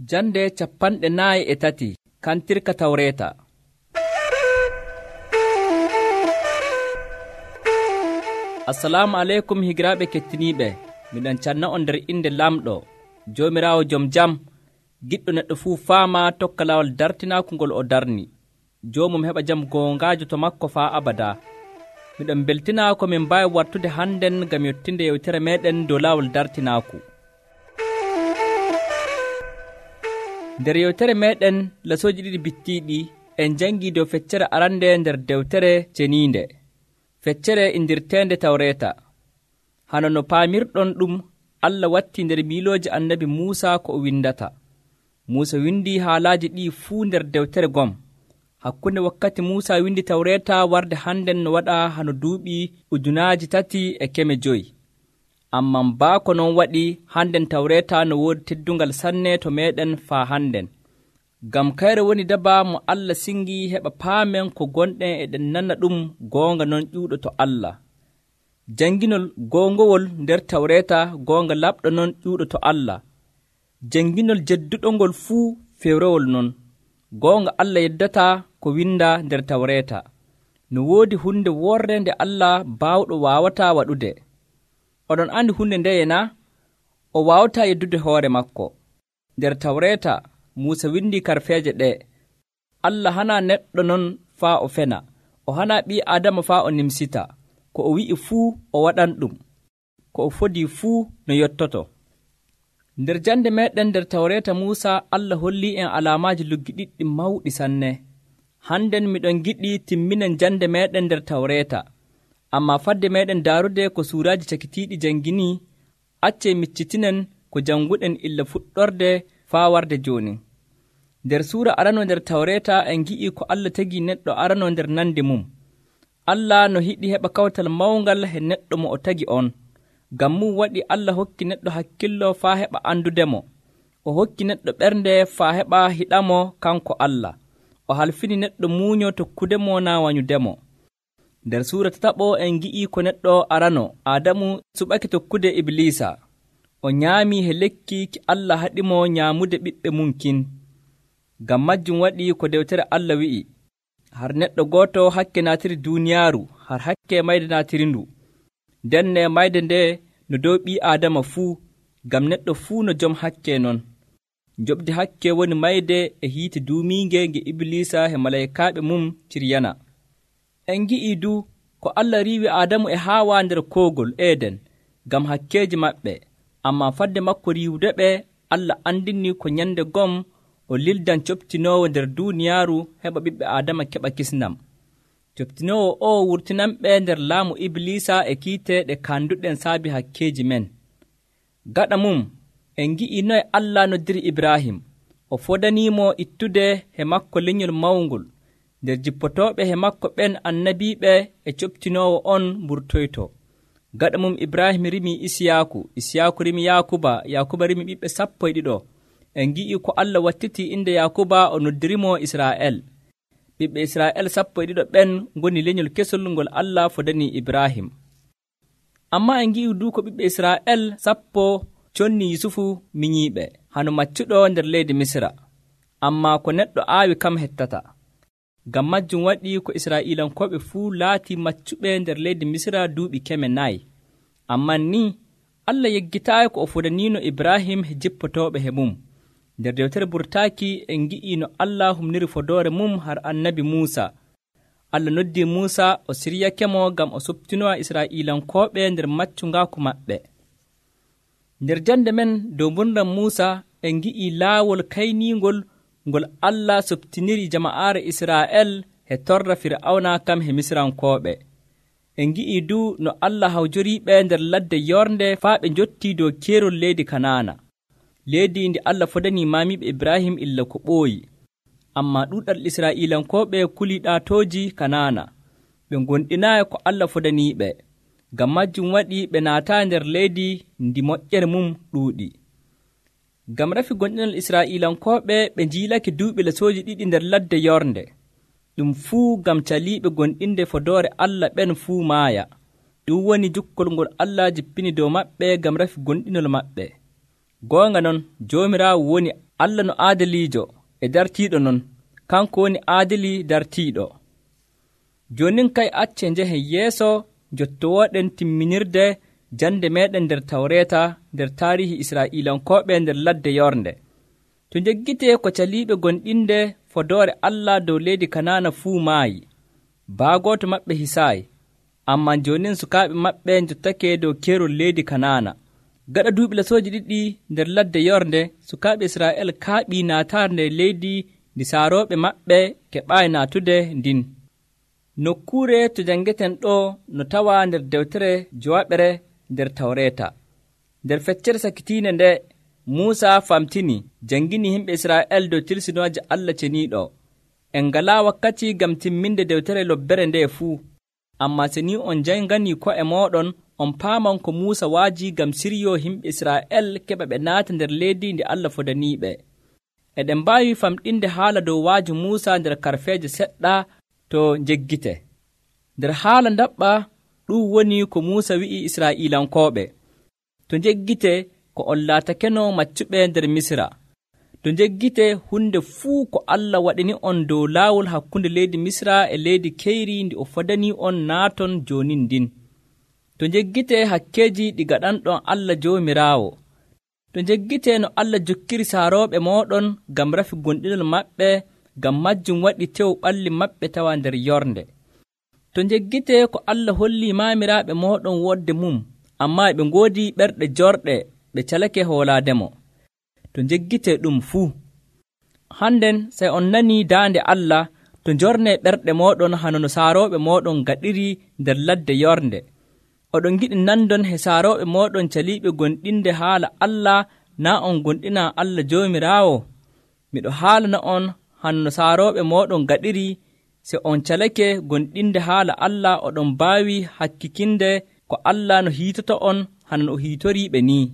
Jande 43 kantirka Tawreeta. Assalamu aleykum higiraaɓe kettiniiɓe. Miɗon canna on nder inde lamɗo Joomiraawo jom jam, giɗɗo neɗɗo fuu faama tokka laawol dartinaaku ngol o darni. Joomum heɓa jam goongaajo to makko faa abadaa. Miɗon beltinaa ko min mbaawi wartude hannden ngam yottinde yewtere meeɗen dow laawol dartinaaku. Nder yewtere meeɗen lasooji ɗiɗi bittiiɗi en janngii dow feccere arande nder dewtere ceniinde, feccere indirteende Tawreeta. Hano no paamirɗon ɗum, Allah wattii nder miilooji annabi Muusa ko o windata. Muusa windii haalaaji ɗii fuu nder dewtere gom. Hakkunde wakkati Muusa windi Tawreeta warde hannden no waɗa hano duuɓi 3,500. Amman baako non waɗi hannden Tawreeta no woodi teddungal sanne to meeɗen faa hannden. Ngam kayre woni daba mo Allah singi heɓa paamen ko gonɗen eɗen nana ɗum goonga non ƴuuɗo to Allah. Janginol goongowol nder Tawreeta goonga laɓɗo non ƴuuɗo to Allah. Janginol jedduɗo ngol fuu fewrowol non. Goonga Allah yeddataa ko winda nder Tawreeta. No woodi hunde worre nde Allah baawɗo waawataa waɗude. Oɗon andi hunde ndeye na? O waawataa yeddude hoore makko. Nder Tawreeta Muusa windi karfeeje ɗe. Allah hanaa neɗɗo non faa o fena. O hanaa ɓii Aadama faa o nimsita. Ko o wi'i fuu o waɗan ɗum. Ko o fodii fuu no yottoto. Nder jande meeɗen nder Tawreeta Muusa Allah hollii en alaamaaji luggiɗiɗɗi mawɗi sanne. Hannden miɗon giɗi timminen jande meeɗen nder Tawreeta. Ammaa fadde meeɗen daarude ko suuraaji cakitiiɗi janginii, accee miccitinen ko janguɗen illa fuɗɗorde faa warde jooni. Nder suura arano nder Tawreeta en gi'ii ko Allah tagii neɗɗo arano nder nande mum. Allah no hiɗi heɓa kawtal mawngal he neɗɗo mo o tagi on. Ngam mum waɗi Allah hokki neɗɗo hakkillo faa heɓa andudemo. O hokki neɗɗo ɓernde faa heɓa hiɗamo kanko Allah. O halfini neɗɗo muuño tokkudemo naa wanyudemo. Nder suura 7 en gi'ii ko neɗɗo arano Aadamu suɓake tokkude Ibliisa. O nyaamii he lekki ki Allah haɗimo nyaamude ɓiɓɓe mum kin. Ngam majjum waɗi ko dewtere Allah wi'i, har neɗɗo gooto hakke naatiri duuniyaaru, har hakke mayde naatiri ndu. Ndenne mayde nde no dow ɓii Aadama fuu, ngam neɗɗo fuu no jom hakke non. Njoɓdi hakke woni mayde e hiite duumiinge nge Ibliisa he malaykaaɓe mum ciryana. En gi'ii du ko Allah riiwi Aadamu e Haawa nder koogol Eeden ngam hakkeeji maɓɓe. Ammaa fadde makko riiwude ɓe, Allah andini ko nyande gom o lildan coptinoowo nder duuniyaaru heɓa ɓiɓɓe Aadama keɓa kisnam. Coptinoowo o wurtinanɓe nder laamu Ibliisa e kiite ɗe kanduɗen saabi hakkeeji men. Gaɗa mum en gi'ii noye Allah noddiri Ibrahim. O fodaniimo ittude he makko lenyol mawngol. Nder jippotooɓe he makko ɓen annabiiɓe e coptinoowo on mburtoyto. Gaɗa mum Ibrahim rimi Isiyaaku rimi Yaakuba rimi ɓiɓɓe 12. En gi'ii ko Allah wattitii inde Yaakuba o noddirimo Israa'el. Ɓiɓɓe Israa'el 12 ɓen ngoni lenyol kesol ngol Allah fodanii Ibrahim. Ammaa en gi'ii du ko ɓiɓɓe Israa'el 10 conni Yusufu minyiiɓe hano maccuɗo nder leydi Misra. Ammaa ko neɗɗo aawi kam hettata. Ngam majjum waɗi ko Israa'iilankooɓe fuu laatii maccuɓe nder leydi Misra duuɓi 400. Amman ni Allah yeggitaayi ko o fodaniino Ibrahim he jippotooɓe he mum. Nder dewtere burtaaki en gi'ii no Allah humniri fodoore mum har annabi Muusa. Allah noddii Muusa o siryakemo ngam o suɓtinowa Israa'iilankooɓe nder maccungaaku maɓɓe. Nder jande men dow mburndan Muusa en gi'ii laawol kayniingol ngol Allah suɓtiniri jama'aare Israa'el he torra Fir'awna kam he Misrankooɓe. En gi'ii du no Allah hawjoriiɓe nder ladde yornde faa ɓe njottii dow keerol leydi Kanaana. Leydi ndi Allah fodanii maamiiɓe Ibrahim illa ko ɓooyi. Ammaa ɗuuɗal Israa'iilankooɓe kulii ɗaatooji Kanaana. Ɓe gonɗinaayi ko Allah fodaniiɓe. Ngam majjum waɗi ɓe naataa nder leydi ndi moƴƴere mum ɗuuɗi. Ngam rafi gonɗinal Israa'iilankooɓe ɓe njiilake duuɓi lasooji 2 nder ladde yornde. Ɗum fuu ngam caliiɓe gonɗinde fodoore Allah ɓen fuu maaya. Ɗum woni jukkol ngol Allah jippini dow maɓɓe ngam rafi gonɗinol maɓɓe. Goonga non Joomiraawo woni Allah no aadiliijo e dartiiɗo non, kanko woni aadili dartiiɗo. Joonin kay accee njehen yeeso jottowooɗen timminirde jande meeɗen nder Tawreeta nder taarihi Israa'iilankooɓe nder ladde Yornde. To njeggitee ko caliiɓe gonɗinde fodoore Allah dow leydi Kanaana fuu maayi, baagooto maɓɓe hisaayi, ammaa joonin sukaaɓe maɓɓe njottake dow keerol leydi Kanaana. Gaɗa duuɓi lasooji ɗiɗi nder ladde Yornde, sukaaɓe Israa'el kaaɓii naataare nder leydi ndi saarooɓe maɓɓe keɓaayi naatude ndin. Nokkuure to janngeten ɗo no tawaa nder dewtere Jowaɓere nder Tawreeta. Nder feccere sakitiinde nde, Muusa famtini janngini yimɓe Israa'el dow tilsinooje Allah ceniiɗo. En ngalaa wakkati ngam timminde dewtere lobbere nde fuu, ammaa so ni on jannganii ko'e mooɗon, on paaman ko Muusa waajii ngam siryoo yimɓe Israa'el keɓa ɓe naata nder leydi ndi Allah fodaniiɓe. Eɗen mbaawi famɗinde haala dow waaji Muusa nder karfeeje seɗɗa to njeggite. Nder haala ndaɓɓa ɗum woni ko Muusa wi'i Israa'iilankooɓe: to njeggite ko on laatakeno maccuɓe nder Misra. To njeggite hunde fuu ko Allah waɗini on dow laawol hakkunde leydi Misra e leydi keyri ndi o fodanii on naaton joonin ndin. To njeggite hakkeeji ɗi gaɗanɗon Allah Joomiraawo. To njeggite no Allah jokkiri saarooɓe mooɗon ngam rafi gonɗinol maɓɓe, ngam majjum waɗi tew ɓalli maɓɓe tawa nder yornde. To njeggite ko Allah hollii maamiraaɓe mooɗon wodde mum, ammaa ɓe ngoodi ɓerɗe jorɗe, ɓe calake hoolaademo. To njeggite ɗum fuu. Hannden sey on nanii daande Allah to njornee ɓerɗe mooɗon hano no saarooɓe mooɗon gaɗiri nder ladde yornde. Oɗon giɗi nandon he saarooɓe mooɗon caliiɓe gonɗinde haala Allah, naa on gonɗina Allah Joomiraawo. Miɗo haalana on hano no saarooɓe mooɗon gaɗiri. Se on calake gonɗinde haala Allah, oɗon mbaawi hakkikinde ko Allah no hiitoto on hano no o hiitoriiɓe nii.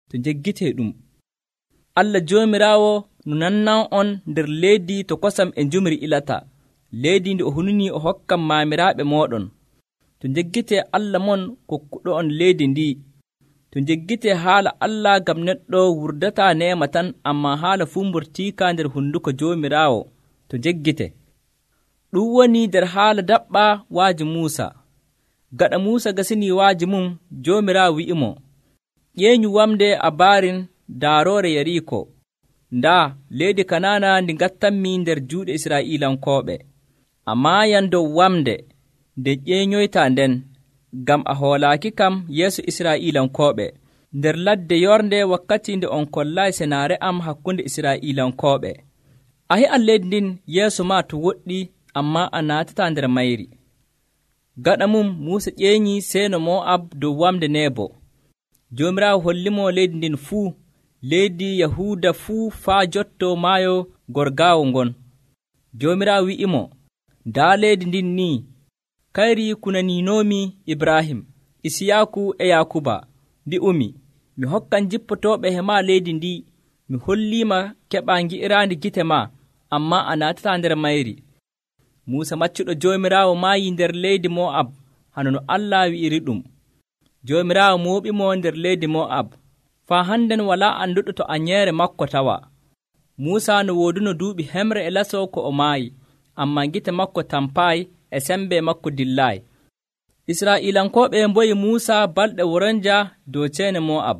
To njeggitee ɗum, Allah Joomiraawo no nannan on nder leydi to kosam e njumri ilata, leydi ndi o hunanii o hokkan maamiraaɓe mooɗon. To njeggitee Allah mon kokkuɗo on leydi ndi. To njeggitee haala Allah, ngam neɗɗo wurdataa neema tan, ammaa haala fuu mbortiika nder hunduko Joomiraawo. To njeggite ɗum woni nder haala daɓɓa waaji Muusa. Gaɗa Muusa gasinii waaji mum, Joomiraawo wi'imo: ƴeeñu wamde a baarin daaroore Yariiko. Ndaa leydi Kanaana ndi ngattanmi nder juuɗe Israa'iilankooɓe. A maayan dow wamde nde ƴeeñoytaa nden, ngam a hoolaaki kam yeeso Israa'iilankooɓe nder ladde yornde wakkati nde on kollaayi senaare am hakkunde Israa'iilankooɓe. A he'an leydi ndin yeeso maa to woɗɗi, ammaa a naatataa nder mayri. Gaɗa mum Muusa ƴeeñii seeno Mo'ab dow wamde Nebo. Joomiraawo hollimo leydi ndin fuu, leydi Yahuuda fuu faa jotto maayo gorgaawo ngon. Joomiraawo wi'imo: ndaa leydi ndin nii, kayri kunaniinoomi Ibrahim, Isiyaaku e Yaakuba. Mbi'umi, mi hokkan jippotooɓe he maa leydi ndi. Mi holliima keɓaa ngi'iraandi gite maa, ammaa a naatataa nder mayri. Muusa maccuɗo Joomiraawo maayii nder leydi Mo'ab, hano no Allah wi'iri ɗum. Joomiraawo mooɓimo nder leydi Mo'ab. Faa hannden walaa annduɗo to anyeere makko tawa. Muusa no wooduno duuɓi hemre e laso ko o maayi, ammaa gite makko tampaayi e sembe makko dillaayi. Israa'iilankooɓe mboyi Muusa balɗe woronja dow ceene Mo'ab.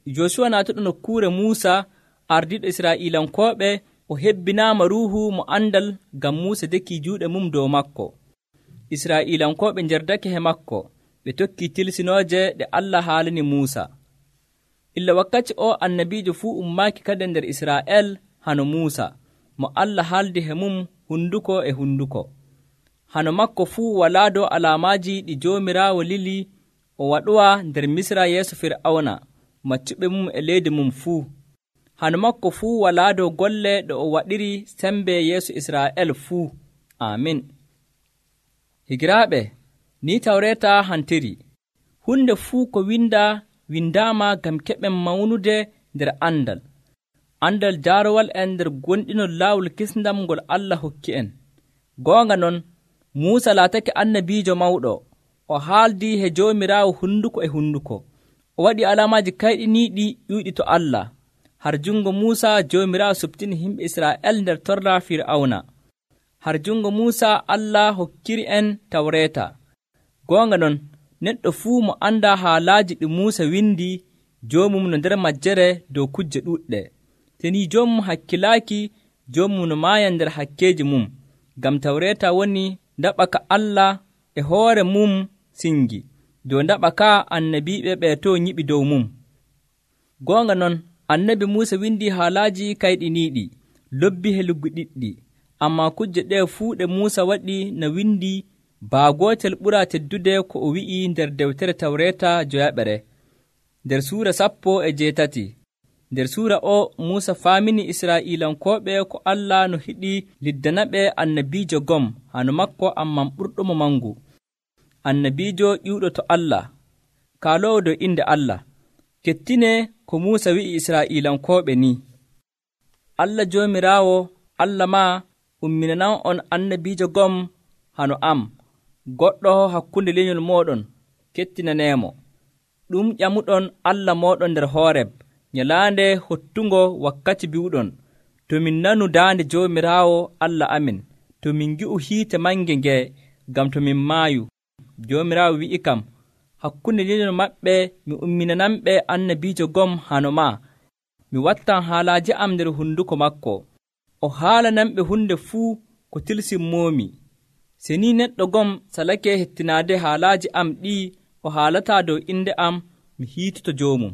Josuwa naatuɗo nokkuure Muusa ardiiɗo Israa'iilankooɓe, o hebbinaama ruuhu mo andal ngam Muusa dekii juuɗe mum dow makko. Israa'iilankooɓe njerdake he makko, ɓe tokkii tilsinooje ɗe Allah haalani Muusa. Illa wakkati o annabiijo fuu ummaaki kadi nder Israa'el hano Muusa, mo Allah haaldi he mum hunduko e hunduko. Hano makko fuu walaa dow alaamaaji ɗi Joomiraawo lili o waɗuwa nder Misra yeeso Fir'awna, maccuɓe mum e leydi mum fuu. Hano makko fuu walaa dow golle ɗe o waɗiri sembe yeeso Israa'el fuu. Amin. Higiraaɓe, ni Tawreeta hantiri. Hunde fuu ko windaama ngam keɓen mawnude nder andal. Andal jaarowal en nder gonɗinol laawol kisndam ngol Allah hokki en. Goonga non, Muusa laatake annabiijo mawɗo. O haaldii he Joomiraawo hunduko e hunduko. O waɗi alaamaaji kayɗiniiɗi ƴuyɗi to Allah. har jungo Muusa Joomiraawo subtini himɓe Israa'el nder torra Fir'awna. Har jungo Muusa Allah hokkiri en Tawreeta. Goonga non, neɗɗo fuu mo andaa haalaaji ɗi Muusa windi joomum no nder majjere dow kujje ɗuɗɗe. Teni joomum hakkilaaki, joomum no maaya nder hakkeeji mum, ngam Tawreeta woni ndaɓa ka Allah e hoore mum singi, dow ndaɓa ka annabiiɓe ɓe to nyiɓi dow mum. Goonga non, annabi Muusa windi haalaaji kayɗiniiɗi, lobbi heluggi ɗiɗɗi, ammaa kujje ɗe fuu ɗe Muusa waɗi no windi baa gootel ɓuraa teddude ko o wi'i nder dewtere Tawreeta joyaɓere. Nder suura 18, nder suura o Muusa faamini Israa'iilankooɓe ko Allah no hiɗi liddanaɓe annabiijo gom hano makko amman ɓurɗomo mangu, annabiijo ƴiwɗo to Allah, kaaloowo dow inde Allah. Kettine ko Muusa wi'i Israa'iilankooɓe ni: Allah Joomiraawo Allah maa umminanan on annabiijo gom hano am, goɗɗo hakkunde lenyol mooɗon, kettinaneemo. Ɗum ƴamuɗon Allah mooɗon nder Hooreb, nyalaande hottungo wakkati biwɗon, to min nanu daande Joomiraawo Allah amin, to min ngi'u hiite mange nge, ngam to min maayu. Joomiraawo wi'i kam, hakkunde lenyol maɓɓe mi umminananɓe annabiijo gom hano maa, mi wattan haalaaji am nder hunduko makko, o haalananɓe hunde fuu ko tilsimmoomi. Se ni neɗɗo gom salake hettinaade haalaaji am ɗi o haalataa dow inde am, mi hiitoto joomum.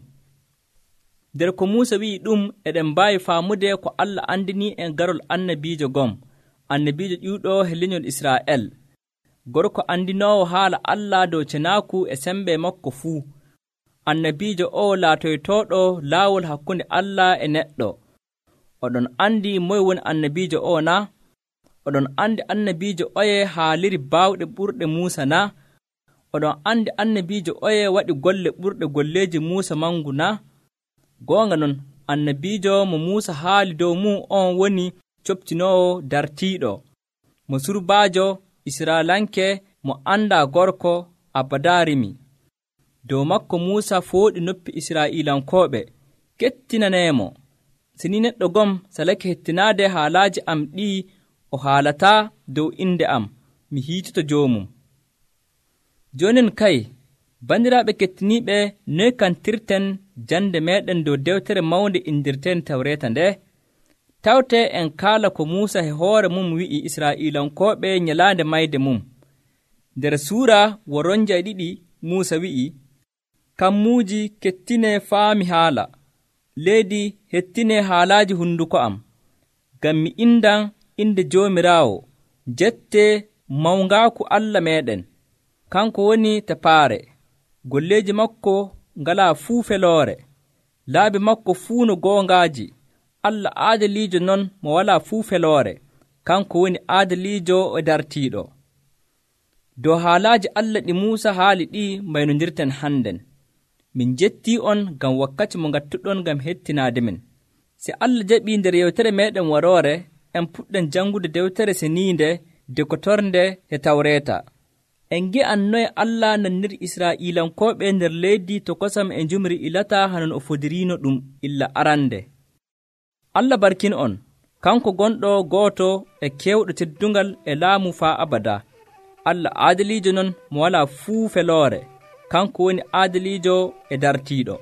Nder ko Muusa wi'i ɗum eɗen mbaawi faamude ko Allah andini en garol annabiijo gom, annabiijo ƴiwɗo e lenyol Israa'el, gorko andinoowo haala Allah dow cenaaku e sembe makko fuu. Annabiijo o laatoytooɗo laawol hakkunde Allah e neɗɗo. Oɗon andi moye woni annabiijo o na? Oɗon andi annabiijo oye haaliri baawɗe ɓurɗe Muusa na? Oɗon andi annabiijo oye waɗi golle ɓurɗe golleeji Muusa mangu na? Goonga non, annabiijo mo Muusa haali dow mum on woni coptinoowo dartiiɗo, mo surbaajo Israalanke mo andaa gorko Abadarimi. Dow makko Muusa fooɗi noppi Israa'iilankooɓe, kettinaneemo. Sini neɗɗo gom salake hettinaade haalaaji am ɗii o haalataa dow inde am, mi hiitoto joomum. Joonin kay, bandiraaɓe kettiniiɓe, noy kantirten jande meeɗen dow dewtere mawnde indirten Tawreeta nde? Tawte en kaala ko Muusa e hoore mum wi'i Israa'iilankooɓe nyalaande mayde mum. Nder suura woronja 2 Muusa wi'i, kammuuji kettine faami haala, leydi hettine haalaaji hunduko am, ngam mi indan inde Joomiraawo, jette mawngaaku Allah meeɗen. Kanko woni tepaare, golleeji makko ngalaa fuu feloore, laabi makko fuu no goongaaji. Allah aadaliijo non mo walaa fuu feloore, kanko woni aadaliijo e dartiiɗo. Dow haalaaji Allah ɗi Muusa haali ɗi mbaynondirten hannden. Min jettii on ngam wakkati mo ngattuɗon ngam hettinaade men. Si Allah jaɓii nder yewtere meeɗen waroore, en puɗɗen janngude dewtere seniinde dekotornde e Tawreeta. En ngi'an noye Allah nanniri Israa'iilankooɓe nder leydi to kosam e njumri ilata hanon o fodiriino ɗum illa arande. Allah barkin on, kanko gonɗo gooto e keewɗo teddungal e laamu faa abada. Allah aadaliijo non mo walaa fuu feloore, kanko woni aadaliijo e dartiiɗo.